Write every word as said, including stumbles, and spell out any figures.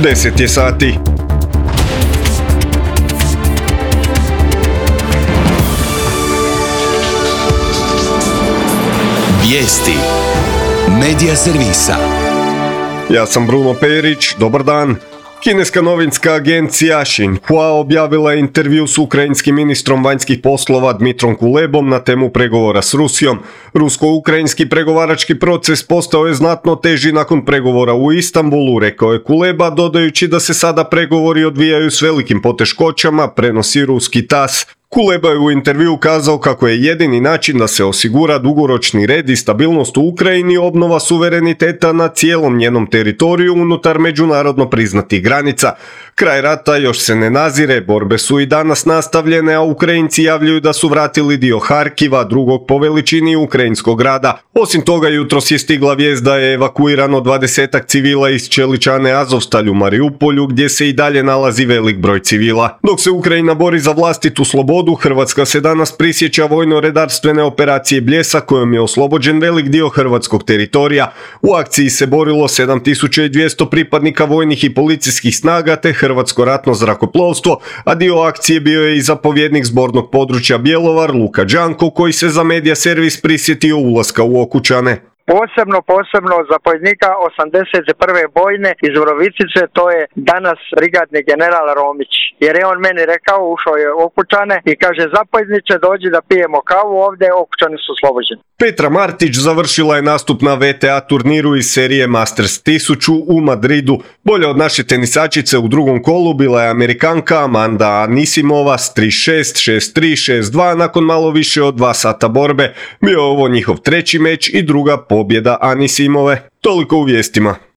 deset je sati. Vijesti Medija servisa. Ja sam Bruno Perić, dobar dan. Kineska novinska agencija Xinhua objavila je intervju s ukrajinskim ministrom vanjskih poslova Dmitrom Kulebom na temu pregovora s Rusijom. Rusko-ukrajinski pregovarački proces postao je znatno teži nakon pregovora u Istanbulu, rekao je Kuleba, dodajući da se sada pregovori odvijaju s velikim poteškoćama, prenosi ruski tas. Kuleba je u intervju kazao kako je jedini način da se osigura dugoročni red i stabilnost u Ukrajini obnova suvereniteta na cijelom njenom teritoriju unutar međunarodno priznatih granica. Kraj rata još se ne nazire, borbe su i danas nastavljene, a Ukrajinci javljaju da su vratili dio Harkiva, drugog po veličini ukrajinskog grada. Osim toga, jutros je stigla vijest da je evakuirano dvadesetak civila iz čeličane Azovstalj u Mariupolju, gdje se i dalje nalazi velik broj civila. Dok se Ukrajina bori za vlastitu slobodu, Hrvatska se danas prisjeća vojno-redarstvene operacije Bljesak, kojom je oslobođen velik dio hrvatskog teritorija. U akciji se borilo sedam tisuća dvjesto pripadnika vojnih i policijskih snaga te Hrvatsko ratno zrakoplovstvo, a dio akcije bio je i zapovjednik zbornog područja Bjelovar Luka Đanko, koji se za Medija servis prisjetio ulaska u Okučane. Posebno, posebno zapovjednika osamdeset prve bojne iz Vrovicice, to je danas brigadni general Romić. Jer je on meni rekao, ušao je u Okučane i kaže, zapovjedniče, dođi da pijemo kavu ovdje, Okučani su oslobođeni. Petra Martić završila je nastup na V T A turniru iz serije Masters tisuću u Madridu. Bolja od naše tenisačice u drugom kolu bila je Amerikanka Amanda Anisimova s tri šest, šest tri, šest dva nakon malo više od dva sata borbe. Bio je ovo njihov treći meč i druga pobjeda Anisimove. Toliko u vijestima.